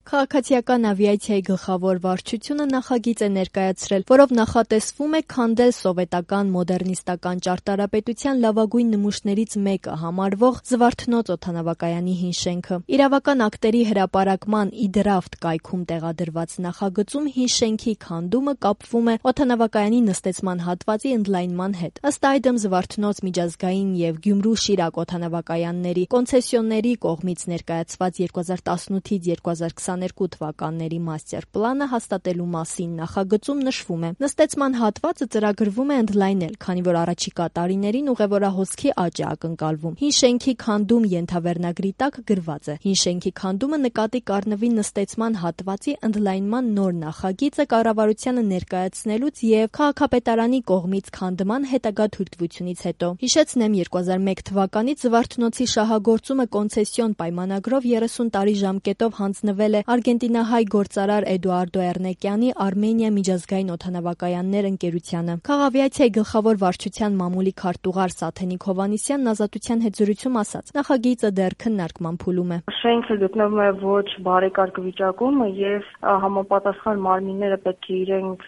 Քաղաքացիական ավիացիայի գլխավոր վարչությունը նախագիծ է ներկայացրել, որով նախատեսվում է քանդել սովետական մոդեռնիստական ճարտարապետության լավագույն նմուշներից մեկը համարվող Զվարթնոց օդանավակայանի հին շենքը։ Իրավական ակտերի հրապարակման Իդրաֆտ կայքում տեղադրված նախագծում հին շենքի քանդումը կապվում է օդանավակայանի նստեցման հատվածի ընդլայնման հետ։ Ըստ այդմ Զվարթնոց միջազգային եւ Գյումրու-Շիրակ օդանավակայանների կոնցեսիոների կողմից ներկայացված 2018-2022 թվականների մաստեր պլանը հաստատելու մասին նախագծում նշվում է. նստեցման հատվածը ծրագրվում է ընդլայնել, քանի որ առաջիկա տարիներին ուղևորահոսքի աճ է ակնկալվում։ Հին շենքի քանդում ենթավերնագրի տակ գրված է. հին շենքի քանդումը նկատի կառնվի նստեցման հատվածի ընդլայնման նոր նախագիծը կառավարությանը ներկայացնելուց եւ քաղաքապետարանի կողմից քանդման հետագա թույլտվությունից հետո։ Հիշեցնեմ, 2001 թվականից Զվարթնոցի շահագործումը կոնցեսիոն պայմանագրով 30 տարի ժամկետով հանձնվել է արգենտինահայ գործարար Էդուարդո Էռնեկյանի Արմենիա միջազգային օդանավակայաններ ընկերությանը։ Քաղավիացիայի գլխավոր վարչության մամուլի քարտուղար Սաթենիկ Հովհաննիսյանն Ազատության հետ զրույցում ասաց. նախագիծը դեռ քննարկման փուլում է։ Շենքը գտնվում է ոչ բարեկարգ վիճակում եւ համապատասխան մարմինները պետք է իրենք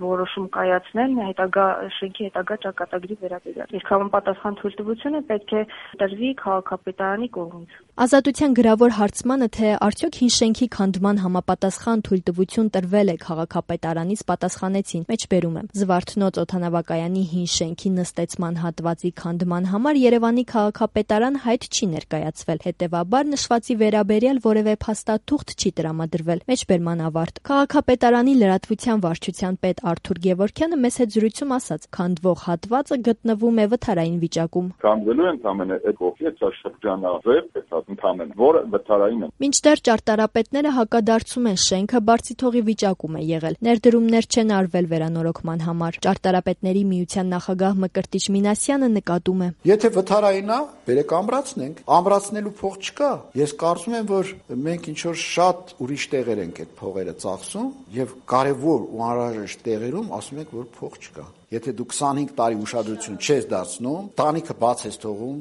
որոշում կայացնեն հետագա շենքի հետագա ճակատագրի վերաբերյալ։ Իսկ համապատասխան թույլտվությունը պետք է տրվի քաղաքապետարանի կողմից։ Ազատության գրավոր հարցմանը, թե արդյոք հին շենքի քանդման համապատասխան թույլտվություն տրվել է քաղաքապետարանից, պատասխանեցին. մեջբերում եմ. Զվարթնոց օդանավակայանի հին շենքի նստեցման հատվածի քանդման համար Երևանի քաղաքապետարան հայտ չի ներկայացվել, հետևաբար նշվածի վերաբերյալ որևէ փաստաթուղթ չի տրամադրվել։ Մեջբերման ավարտ։ Քաղաքապետարանի լրատվության վարչության պետ Արթուր Գևորգյանը մեծ հետ զրույցում ասաց. քանդվող հատվածը գտնվում է վթարային վիճակում։ Քանդվելու ընդամենը այդ ողջ շրջանավեր, ընդամենը, որը վթարային է։ Մինչդեռ ճարտարապետները հակադարձում են, շենքը բարձիթողի վիճակում է եղել։ Ներդրումներ չեն արվել վերանորոգման համար։ Ճարտարապետների միության նախագահ Մկրտիչ Մինասյանը նկատում է. Եթե վթարային է, բերեք ամրացնենք։ Ամրացնելու փող չկա։ Ես կարծում եմ, որ մենք ինչ որ շատ ուրիշ տեղեր ենք այդ փողերը ծախսում եւ կարեւոր ու անհրաժեշտ տեղերում ասում ենք, որ փող չկա։ Եթե դու 25 տարի ուշադրություն չես դարձնում, տանիքը բաց ես թողում,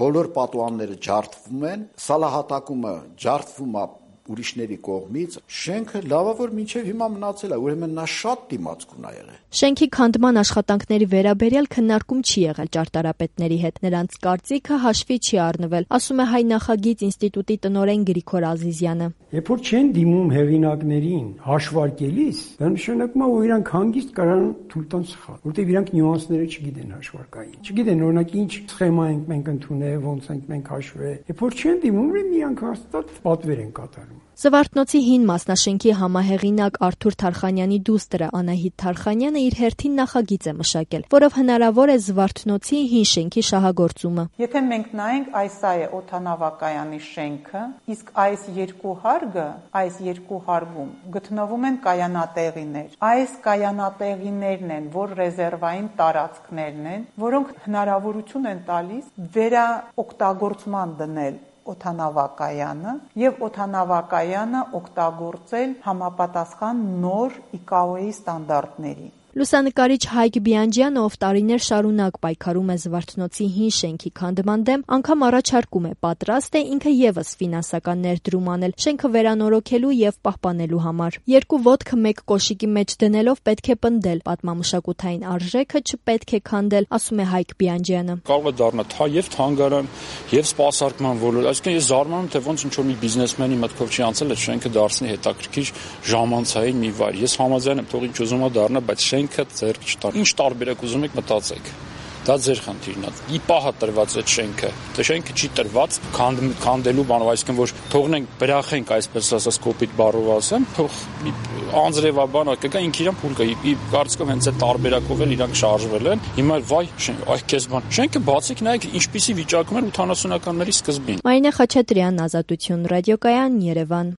բոլոր պատուհանները ջարդվում են, սալահատակումը ջարդվում է ուրիշների կողմից, շենքը լավավոր մինչև հիմա մնացել է, ուրեմն նա շատ դիմացկուն է եղել։ Շենքի քանդման աշխատանքների վերաբերյալ քննարկում չի եղել ճարտարապետների հետ։ Նրանց կարծիքը հաշվի չի առնվել, ասում է Հայ նախագիծ ինստիտուտի տնօրեն Գրիգոր Ազիզյանը։ Երբ որ չեն դիմում հեղինակներին հաշվարկելիս, դա նշանակում է, որ իրանք հանգիստ կարան թույլ տան սխալ, որտեղ իրանք նյուանսները չգիտեն հաշվարկային։ Չգիտեն օրինակ ինչ սխեմա ենք մենք ընդունել, ոնց ենք մենք հաշվել։ Երբ որ չեն դիմում, միանք հաստատ պատվեր են կատարում։ Զվարթնոցի հին մասնաշենքի համահեղինակ Արթուր Թարխանյանի դուստրը Անահիտ Թարխանյանը իր հերթին նախագիծ է մշակել, որով հնարավոր է Զվարթնոցի հին շենքի շահագործումը։ Եթե մենք նայենք, այս է օդանավակայանի շենքը, իսկ այս երկու հարգում գտնվում են կայանատեղիներ։ Այս կայանատեղիներն են, որ ռեզերվային տարածքներն են, որոնք հնարավորություն են տալիս վերաօգտագործման դնել օդանավակայանը եւ օդանավակայանը օգտագործել համապատասխան նոր ICAO-ի ստանդարտների։ Լուսանկարիչ Հայկ Բիանջյանը, ով տարիներ շարունակ պայքարում է Զվարթնոցի հին շենքի քանդման դեմ, անգամ առաջարկում է պատրաստ է ինքը եւս ֆինանսական ներդրում անել շենքը վերանորոգելու եւ պահպանելու համար։ Երկու ոտքը մեկ կոշիկի մեջ դնելով պետք է պնդել, պատմամշակութային արժեքը չպետք է քանդել, ասում է Հայկ Բիանջյանը։ Կարող է դառնալ եւ թանգարան, եւ սպասարկման ոլորտ, այսինքն ես զարմանում թե ոնց ինչ որ մի բիզնեսմենի մտքով չի անցել այդ շենքը դարձնի հետաքրքիր ժամանցային մի վայր։ Ես համաձայն եմ, թող ինչ ուզում է դառնա, բայց շենքը ձեռք չտար։ Ինչ տարբերակ ուզում եք մտածեք։ Դա ձեր խնդիրն է։ Ի պահ է տրված այդ շենքը։ Դա շենքը չի տրված քանդելու բանով, այսինքն որ թողնենք, բրախենք, այսպես ասած, կոպիտ բառով ասեմ, թող անձրևաբան կգա, ինքը իրան փուլ կա։ Կարծիքով հենց այդ տարբերակով էլ իրանք շարժվել են։ Հիմա վայ, այ քեզ բան։ Շենքը բացիկ նայեք, ինչպիսի վիճակում էր 80-ականների սկզբին։ Մարինե Խաչատրյան, Ազատություն ռադիոկայան, Երևան։